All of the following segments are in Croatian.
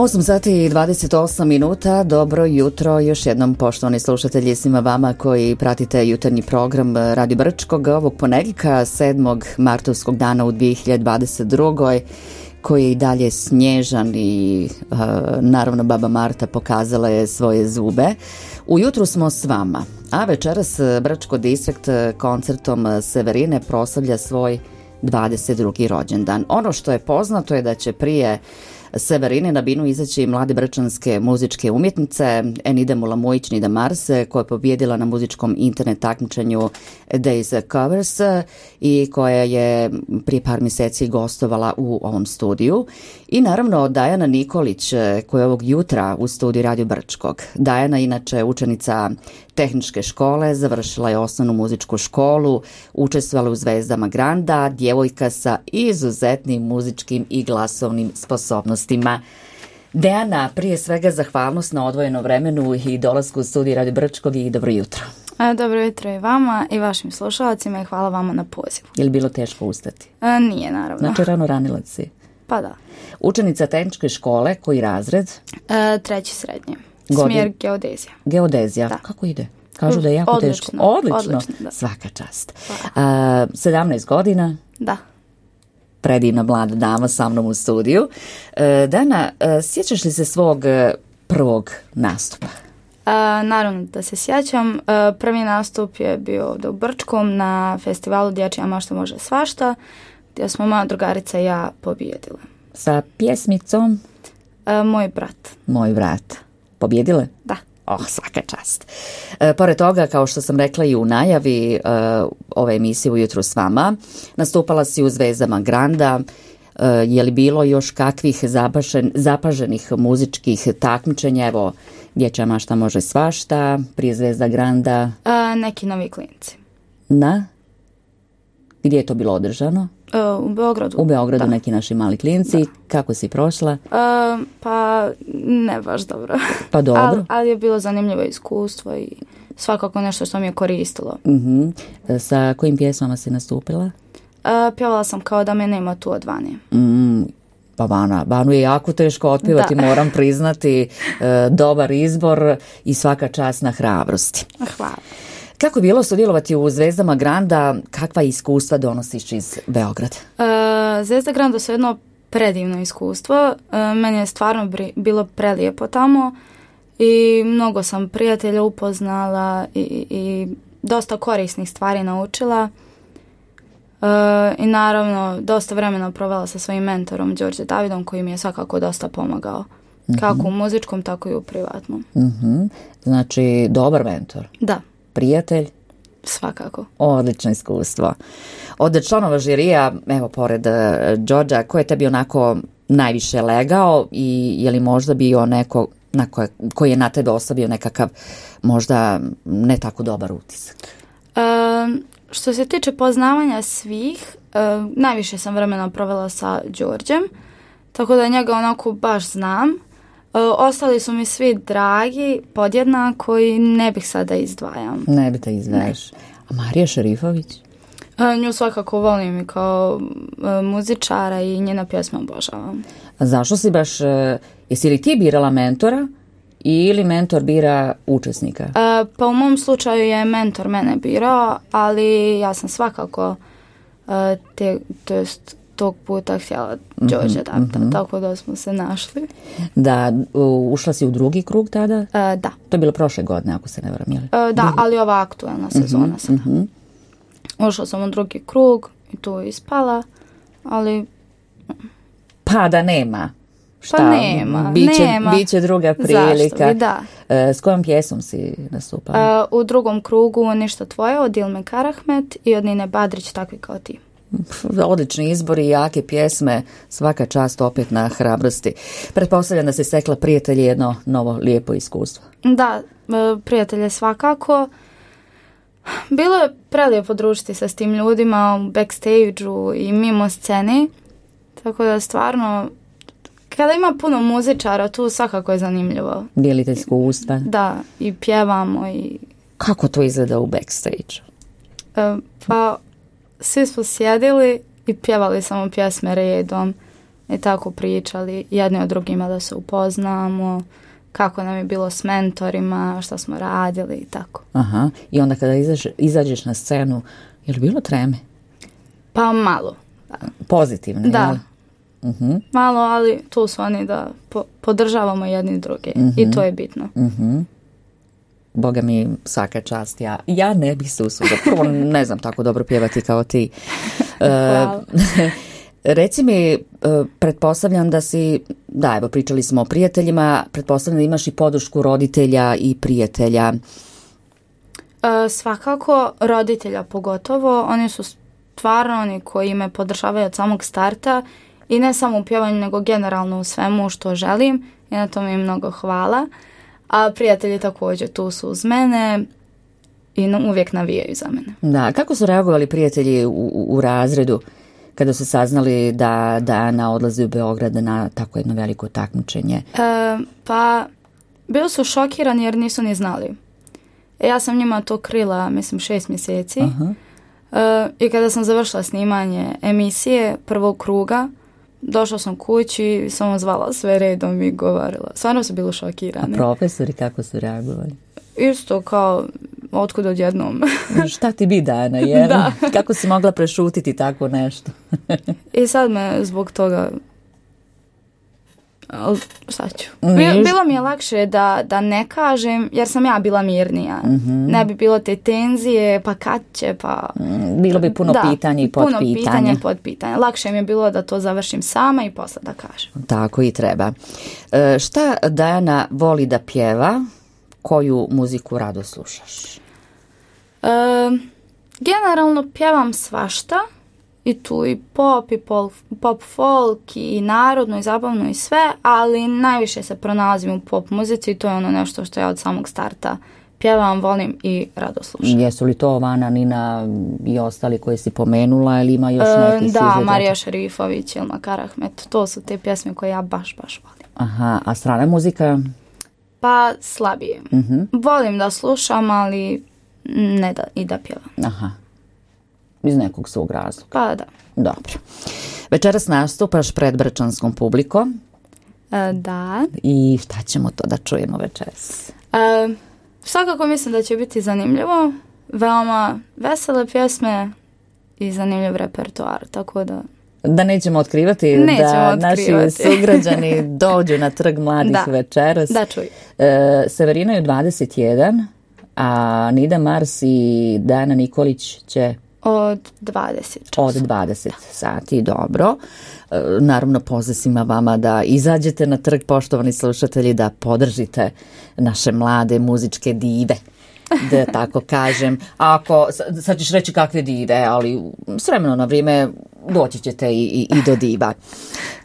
8 sati i 28 minuta, dobro jutro još jednom poštovani slušatelji, svima vama koji pratite jutarnji program Radio Brčkog ovog ponedjeljka 7. martovskog dana u 2022. koji je i dalje snježan i naravno baba Marta pokazala je svoje zube. Ujutru smo s vama, a večeras Brčko distrikt koncertom Severine proslavlja svoj 22. rođendan. Ono što je poznato je da će prije Severine na binu izaći mlade brčanske muzičke umjetnice Enida Mulamujić Nida Marse, koja je pobjedila na muzičkom internet takmičenju Days Covers i koja je prije par mjeseci gostovala u ovom studiju. I naravno Dajana Nikolić, koja je ovog jutra u studiju Radio Brčkog. Dajana inače učenica tehničke škole, završila je osnovnu muzičku školu, učestvovala u Zvezdama Granda, djevojka sa izuzetnim muzičkim i glasovnim sposobnostima. Dejana, prije svega zahvalnost na odvojeno vremenu i dolasku u studiju Radio Brčkog i dobro jutro. Dobro jutro i vama i vašim slušalcima i hvala vama na pozivu. Je li bilo teško ustati? Nije, naravno. Znači rano ranilac si? Pa da. Učenica tehničke škole, koji razred? Treći srednje. Smjer geodezija. Geodezija, da. Kako ide? Kažu da je jako teško. Odlično. Da. Svaka čast. 17 godina? Da. Predivna mlada dama sa mnom u studiju. Dana, sjećaš li se svog prvog nastupa? Naravno da se sjećam. Prvi nastup je bio ovdje u Brčkom na festivalu Dječja mašta može svašta, gdje smo moja drugarica i ja pobijedile. Sa pjesmicom? Moj brat. Pobjedile? Da. Svaka čast. Pored toga, kao što sam rekla i u najavi ove emisije Ujutru s vama, nastupala si u Zvezdama Granda. Je li bilo još kakvih zapaženih muzičkih takmičenja? Evo, Dječja mašta može svašta, prije Zvezda Granda. Neki novi klinci. Na? Gdje je to bilo održano? U Beogradu. U Beogradu, da. Neki naši mali klinci. Da. Kako si prošla? Pa ne baš dobro. Pa dobro. Ali je bilo zanimljivo iskustvo i svakako nešto što mi je koristilo. Sa kojim pjesmama si nastupila? Pjevala sam Kao da me nema tu od Vane. Pa Vanu je jako teško otpjevati, moram priznati. Dobar izbor i svaka čast na hrabrosti. Hvala. Kako je bilo sudjelovati u Zvezdama Granda? Kakva iskustva donosiš iz Beograda? Zvezda Granda su jedno predivno iskustvo. Meni je stvarno bilo prelijepo tamo i mnogo sam prijatelja upoznala i dosta korisnih stvari naučila. I naravno dosta vremena provela sa svojim mentorom Đorđe Davidom, koji mi je svakako dosta pomagao. Kako u muzičkom, tako i u privatnom. Znači, dobar mentor. Da. Prijatelj? Svakako. Odlično iskustvo. Od članova žirija, evo, pored Đorđa, ko je tebi onako najviše legao i je li možda bio neko koji je na tebe ostavio nekakav možda ne tako dobar utisak? Što se tiče poznavanja svih, najviše sam vremena provela sa Đorđem, tako da njega onako baš znam. Ostali su mi svi dragi, podjednako i ne bih sada izdvajam. Ne bi te izdvajaš. A Marija Šerifović? Nju svakako volim i kao muzičara i njena pjesma obožavam. A zašto si baš, jesi li ti birala mentora ili mentor bira učesnika? Pa u mom slučaju je mentor mene birao, ali ja sam svakako tog puta htjela Đorđe tako da smo se našli. Da, ušla si u drugi krug tada? Da. To je bilo prošle godine, ako se ne varam, jeli? Da, ali ova aktualna sezona sada. Ušla sam u drugi krug i tu ispala, ali... Pa da nema. Šta? Pa nema. Biće druga prilika. Zašto bi, da. S kojom pjesom si nastupala? U drugom krugu Ništa tvoje od Ilme Karahmet i od Nine Badrić, Takvi kao ti. Odlični izbor i jake pjesme, svaka čast opet na hrabrosti. Pretpostavljam da si stekla prijatelji jedno novo lijepo iskustvo. Da, prijatelje svakako. Bilo je prelijepo družiti se s tim ljudima u backstage-u i mimo sceni, tako da stvarno kada ima puno muzičara tu svakako je zanimljivo. Dijelite iskustva? Da, i pjevamo i... Kako to izgleda u backstage-u? Pa svi smo sjedili i pjevali samo pjesme redom i tako pričali jedni od drugima da se upoznamo, kako nam je bilo s mentorima, šta smo radili i tako. Aha, i onda kada izađeš na scenu, je li bilo treme? Pa malo. Pozitivno, da. Jel? Malo, ali tu su oni da podržavamo jedni druge i to je bitno. Boga mi, svaka čast. Ja ne bih se usudila. Prvo ne znam tako dobro pjevati kao ti. Reci mi, pretpostavljam da si, da, evo pričali smo o prijateljima, pretpostavljam da imaš i podršku roditelja i prijatelja. Svakako, roditelja pogotovo, oni su stvarno oni koji me podržavaju od samog starta i ne samo u pjevanju, nego generalno u svemu što želim i na tome im mnogo hvala. A prijatelji također tu su uz mene i uvijek navijaju za mene. Da, kako su reagovali prijatelji u razredu kada su saznali da Dana odlazi u Beograd na tako jedno veliko takmičenje? Pa, bili su šokirani jer nisu ni znali. Ja sam njima to krila, mislim, 6 mjeseci. I kada sam završila snimanje emisije prvog kruga, došla sam kući, samo zvala sve redom i govorila. Stvarno su bili šokirani. A profesori kako su reagovali? Isto kao, otkud odjednom. Šta ti bi Dana, jel? Da. Kako si mogla prešutiti tako nešto? I sad me zbog toga... Šta ću? Bilo mi je lakše da ne kažem, jer sam ja bila mirnija. Ne bi bilo te tenzije, pa kad će, pa... Bilo bi puno pitanja i podpitanja. Puno pitanja i podpitanja. Lakše mi je bilo da to završim sama i posle da kažem. Tako i treba. Šta Dana voli da pjeva? Koju muziku rado slušaš? Generalno pjevam svašta. I tu i pop, i pop folk, i narodno, i zabavno, i sve, ali najviše se pronalazim u pop muzici i to je ono nešto što ja od samog starta pjevam, volim i rado slušam. Jesu li to Vana, Nina i ostali koji si pomenula ili ima još neki Da, Marija Šerifović, Ilma Karahmet, to su te pjesme koje ja baš volim. Aha, a strana muzika? Pa slabije. Volim da slušam, ali ne da pjevam. Aha. Iz nekog svog razloga. Pa da. Dobro. Večeras nastupaš pred brčanskom publikom. Da. I šta ćemo to da čujemo večeras? Svakako mislim da će biti zanimljivo. Veoma vesele pjesme i zanimljiv repertoar, tako da... Da nećemo otkrivati, naši sugrađani dođu na Trg mladih večeras. Da, čuj. Severina je 21, a Nida Mars i Dana Nikolić će... Od 20 časa. Od 20 sati, dobro. Naravno, poziv svima vama da izađete na trg, poštovani slušatelji, da podržite naše mlade muzičke dive, da tako kažem. Ako, sad ćeš reći kakve dive, ali s vremena na vrijeme doći ćete i do diva.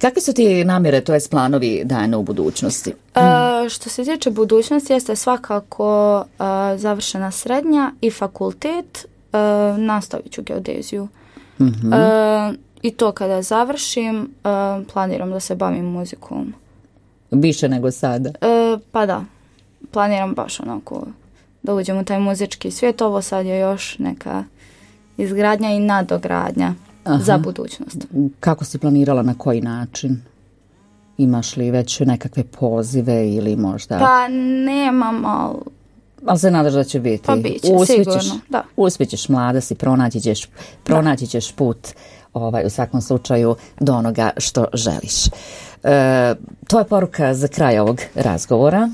Kakvi su ti namjere, to jest planovi Dana u budućnosti? Što se tiče budućnosti, jeste svakako završena srednja i fakultet. Nastavit ću geodeziju. I to kada završim, planiram da se bavim muzikom. Više nego sada? Pa da. Planiram baš onako da uđem u taj muzički svijet. Ovo sad je još neka izgradnja i nadogradnja za budućnost. Kako si planirala, na koji način? Imaš li već nekakve pozive ili možda... Pa nemam, ali se nadaš da će biti. Pa biće, sigurno, da. Uspjećeš, mlada si, pronaći ćeš put u svakom slučaju do onoga što želiš. To je poruka za kraj ovog razgovora.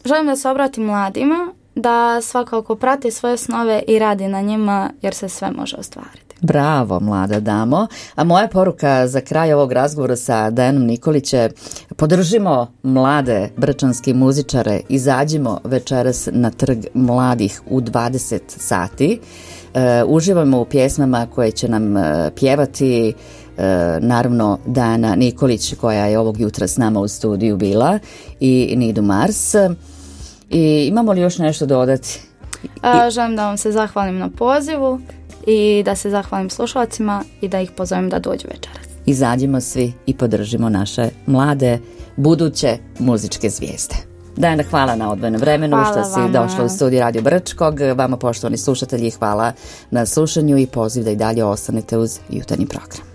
Želim da se obratim mladima, da svakako prati svoje snove i radi na njima, jer se sve može ostvariti. Bravo, mlada damo. A moja poruka za kraj ovog razgovora sa Dajanom Nikolić je: podržimo mlade brčanske muzičare, izađimo večeras na Trg mladih u 20 sati. Uživamo u pjesmama koje će nam pjevati naravno Dajana Nikolić, koja je ovog jutra s nama u studiju bila, i Nidu Mars. I imamo li još nešto dodati? Želim da vam se zahvalim na pozivu i da se zahvalim slušalcima i da ih pozovem da dođu večeras. Izađimo svi i podržimo naše mlade, buduće muzičke zvijezde. Dajana, hvala na odvojenom vremenu, što si došla u studiju Radio Brčkog. Vama, poštovani slušatelji, hvala na slušanju i poziv da i dalje ostanete uz jutarnji program.